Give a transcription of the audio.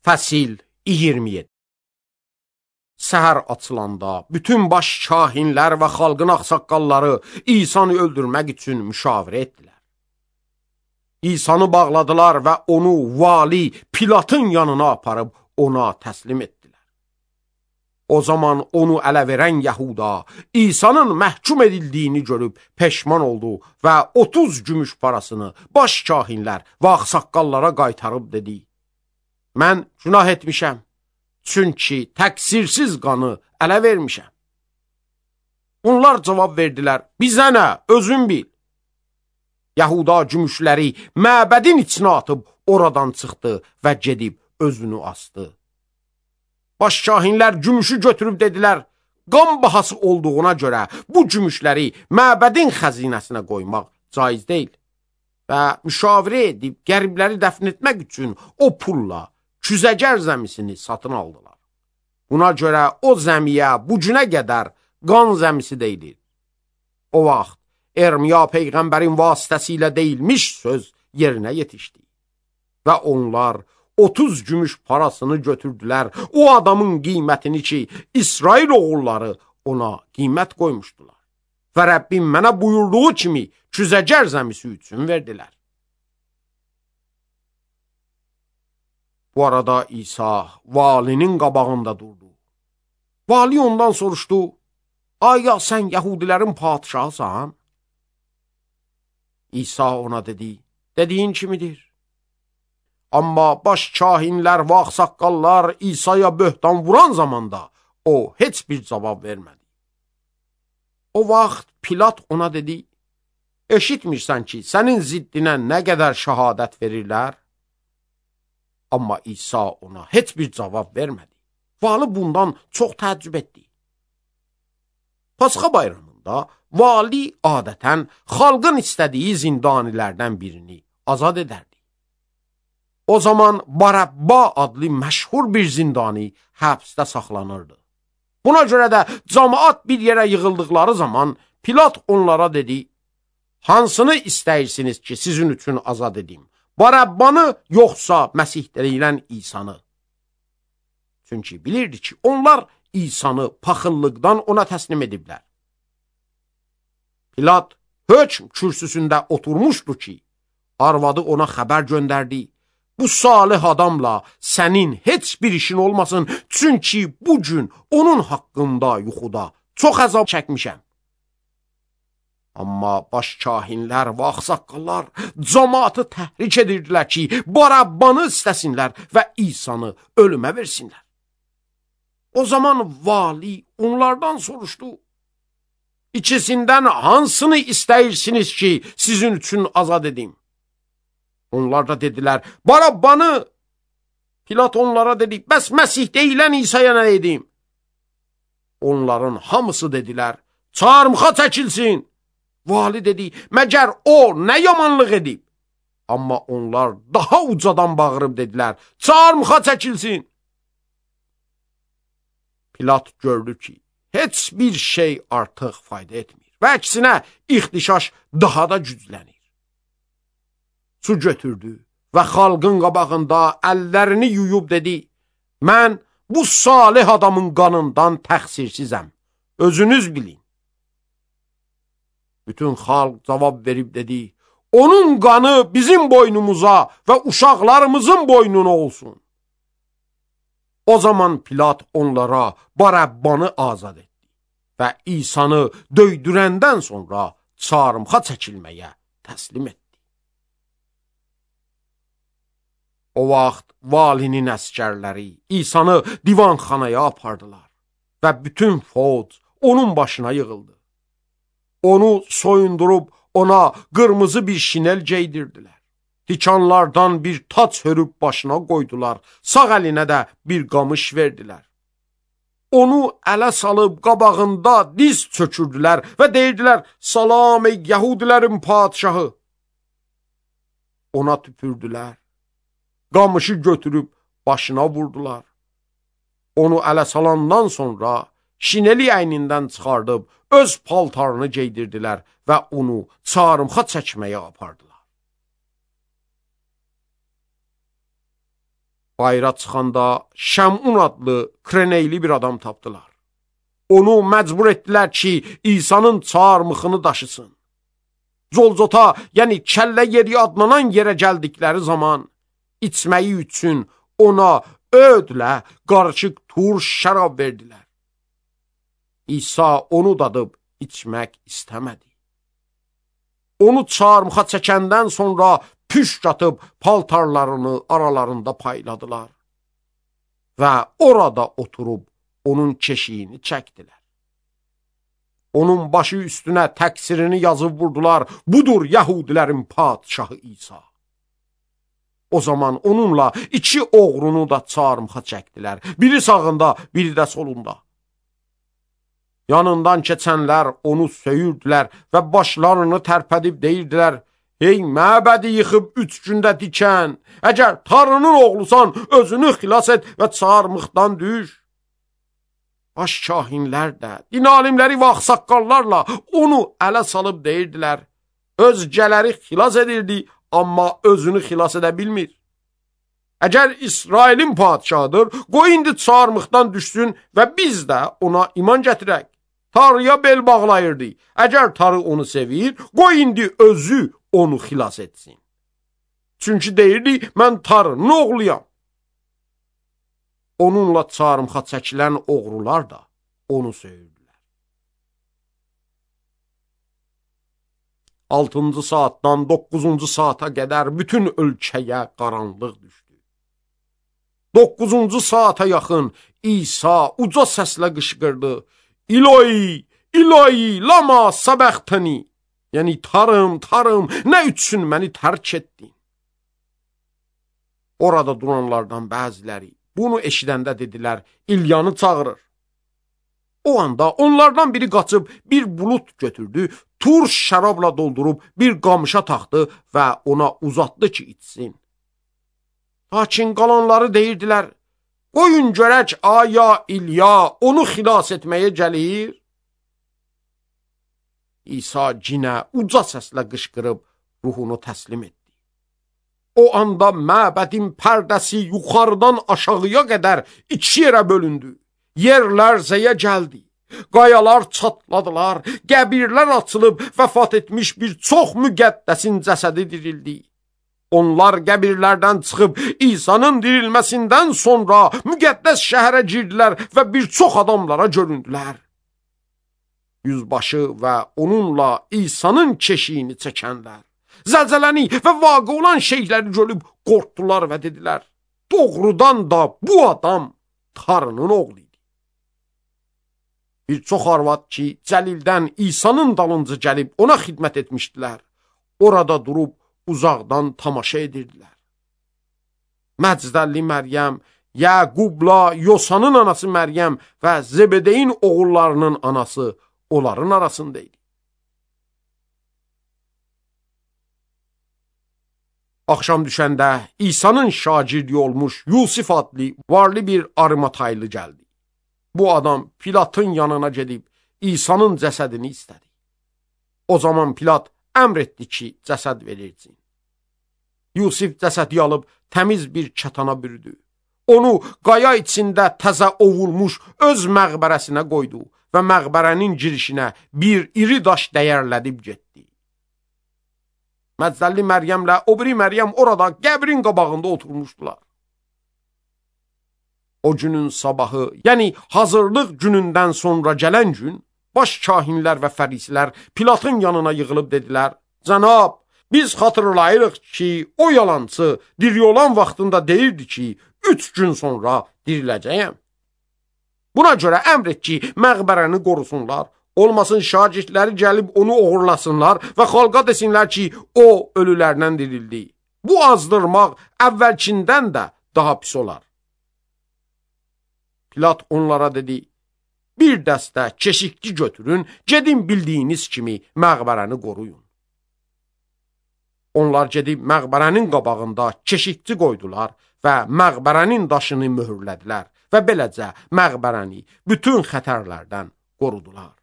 Fəsil 27. Səhər açılanda bütün baş kahinlər və xalqın ağsaqqalları İsanı öldürmək üçün müşavirə etdilər. İsanı bağladılar və onu vali Pilatın yanına aparıb ona təslim etdilər. O zaman onu ələ verən Yahuda İsa'nın məhkum edildiyini görüb peşman oldu və 30 gümüş parasını baş kahinlər və ağsaqqallara qaytarıb dedi: Mən günah etmişəm, çünki təqsirsiz qanı ələ vermişəm. Onlar cavab verdilər: Bizə nə, özün bil. Yahuda gümüşləri məbədin içinə atıb oradan çıxdı və gedib özünü asdı. Baş kahinlər gümüşü götürüb dedilər: Qan bahası olduğuna görə bu gümüşləri məbədin xəzinəsinə qoymaq caiz deyil. Və müşavirə edib qəribləri dəfn etmək üçün o pulla küzəgər zəmisini satın aldılar. Buna görə o zəmiyə bu günə qədər qan zəmisi deyilir. O vaxt Ermiya peyğəmbərin vasitəsilə deyilmiş söz yerinə yetişdi. Və onlar 30 gümüş parasını götürdülər, o adamın qiymətini ki, İsrail oğulları ona qiymət qoymuşdular. Və Rəbbim mənə buyurduğu kimi küzəgər zəmisi üçün verdilər. Bu arada İsa valinin qabağında durdu. Vali ondan soruşdu: Aya sən Yahudilərin padişahısan? İsa ona dedi: Dediyin kimidir. Amma baş kahinlər və ağsaqqallar İsa'ya böhtan vuran zamanda o heç bir cavab vermədi. O vaxt Pilat ona dedi: Eşitmirsən ki, sənin ziddinə nə qədər şəhadət verirlər? Amma İsa ona heç bir cavab vermədi. Vali bundan çox təəccüb etdi. Pasxa bayramında vali adətən xalqın istədiyi zindanilərdən birini azad edərdi. O zaman Barabba adlı məşhur bir zindani həbsdə saxlanırdı. Buna görə də cəmaət bir yerə yığıldıqları zaman Pilat onlara dedi: Hansını istəyirsiniz ki, sizin üçün azad edim? Barabbanı yoxsa Məsih deyilən İsanı? Çünki bilirdi ki, onlar İsanı paxıllıqdan ona təslim ediblər. Pilat hökm kürsüsündə oturmuşdu ki, arvadı ona xəbər göndərdi: Bu salih adamla sənin heç bir işin olmasın, çünki bugün onun haqqında yuxuda çox əzab çəkmişəm. Amma baş kahinlər və ağsaqqallar cəmaatı təhrik edirdilər ki, Barabbanı istəsinlər və İsanı ölümə versinlər. O zaman vali onlardan soruşdu: İkisindən hansını istəyirsiniz ki, sizin üçün azad edim? Onlar da dedilər: Barabbanı. Pilat onlara dedi: Bəs Məsih deyilən İsa'ya nə edim? Onların hamısı dedilər: Çarmıxa çəkilsin. Vali dedi: Məgər o nə yamanlıq edib? Amma onlar daha ucadan bağırıb dedilər: Çarmıxa çəkilsin. Pilat gördü ki, heç bir şey artıq fayda etmir və əksinə ixtişaş daha da güclənir. Su götürdü və xalqın qabağında əllərini yuyub dedi: Mən bu salih adamın qanından təqsirsizəm, özünüz bilin. Bütün xalq cavab verib dedi: Onun qanı bizim boynumuza və uşaqlarımızın boynuna olsun. O zaman Pilat onlara Barabbanı azad etdi və İsanı döydürəndən sonra çarmıxa çəkilməyə təslim etdi. O vaxt valinin əskərləri İsanı divanxanaya apardılar və bütün fौज onun başına yığıldı. Onu soyundurub ona qırmızı bir şinel geydirdilər. Tikanlardan bir taç hörüb başına qoydular, sağ əlinə də bir qamış verdilər. Onu ələ salıb qabağında diz çökürdülər və deyirdilər: Salam ey Yahudilərin padişahı. Ona tüpürdülər. Qamışı götürüb başına vurdular. Onu ələ salandan sonra şineli əynindən çıxardıb öz paltarını geydirdilər və onu çarmıxa çəkməyə apardılar. Bayra çıxanda Şəmun adlı Kreneyli bir adam tapdılar. Onu məcbur etdilər ki, İsa'nın çarmıxını daşısın. Zolzota, yəni kəllə yeri adlanan yerə gəldikləri zaman içməyi üçün ona ödlə qarışıq turş şərab verdilər. İsa onu dadıb içmək istəmədi. Onu çarmıxa çəkəndən sonra püşk atıb paltarlarını aralarında payladılar və orada oturub onun keşiyini çəkdilər. Onun başı üstünə təqsirini yazıb vurdular. Budur Yahudilərin padişahı İsa. O zaman onunla 2 oğrunu da çarmıxa çəkdilər. Biri sağında, biri də solunda. Yanından keçənlər onu söyürdülər və başlarını tərpədib deyirdilər: Ey məbədi yıxıb 3 gündə dikən, əgər Tanrının oğlusan, özünü xilas et və çarmıxdan düş. Baş kahinlər də, din alimləri və ağsaqqallarla onu ələ salıb deyirdilər: Özgələri xilas edirdi, amma özünü xilas edə bilmir. Əgər İsrailin padişahıdır, qoy indi çarmıxdan düşsün və biz də ona iman gətirək. Tanrıya bel bağlayırdı. Əgər Tanrı onu sevir, qoy indi özü onu xilas etsin. Çünki deyirdi, mən Tanrının oğluyam. Onunla çarmıxa çəkilən oğrular da onu söyürdülər. 6-cı saatdan 9-cu saata qədər bütün ölkəyə qaranlıq düşdü. 9-cu saata yaxın İsa uca səslə qışqırdı: İloi, İloi, lama səbəxtəni. Yəni, Tanrım, Tanrım, nə üçün məni tərk etdin? Orada duranlardan bəziləri bunu eşidəndə dedilər: İlyanı çağırır. O anda onlardan biri qaçıb bir bulut götürdü, turş şərabla doldurub bir qamışa taxdı və ona uzatdı ki, içsin. Lakin qalanları deyirdilər: Qoyun görək, aya İlya onu xilas etməyə gəlir. İsa cinə uca səslə qışqırıb ruhunu təslim etdi. O anda məbədin pərdəsi yuxarıdan aşağıya qədər 2 yerə bölündü. Yer lərzəyə gəldi. Qayalar çatladılar, qəbirlər açılıb vəfat etmiş bir çox müqəddəsin cəsədi dirildi. Onlar qəbirlərdən çıxıb İsa'nın dirilməsindən sonra müqəddəs şəhərə girdilər və bir çox adamlara göründülər. Yüzbaşı və onunla İsa'nın keşiyini çəkənlər zəlzələni və vaqe olan şeyləri görüb qorxdular və dedilər: Doğrudan da bu adam Tanrının oğlu idi. Bir çox arvad ki, Cəlildən İsa'nın dalınca gəlib ona xidmət etmişdilər, orada durub uzaqdan tamaşa edirdilər. Məcdəlli Məryəm, Yəqubla Yosanın anası Məryəm və Zebedeyin oğullarının anası onların arasındaydı. Axşam düşəndə İsa'nın şagirdi olmuş Yusif adlı varlı bir Arimataylı gəldi. Bu adam Pilatın yanına gedib İsa'nın cəsədini istədi. O zaman Pilat əmr etdi ki, cəsəd verilsin. Yusif cəsədi alıb təmiz bir kətana bürüdü. Onu qaya içində təzə ovulmuş öz məqbərəsinə qoydu və məqbərənin girişinə bir iri daş dəyərlədib getdi. Məcdəlli Məryəmlə o biri Məryəm orada qəbrin qabağında oturmuşdular. O günün sabahı, yəni hazırlıq günündən sonra gələn gün, baş kahinlər və fərisilər Pilatın yanına yığılıb dedilər: Cənab, biz xatırlayırıq ki, o yalançı diri olan vaxtında deyirdi ki, 3 gün sonra diriləcəyəm. Buna görə əmr et ki, məqbərəni qorusunlar. Olmasın şagirdləri gəlib onu oğurlasınlar və xalqa desinlər ki, o ölülərdən dirildi. Bu azdırmaq əvvəlkindən də daha pis olar. Pilat onlara dedi: Bir dəstə keşikçi götürün, gedin bildiyiniz kimi məqbərəni qoruyun. Onlar gedib məqbərənin qabağında keşikçi qoydular və məqbərənin daşını möhürlədilər və beləcə məqbərəni bütün xətərlərdən qorudular.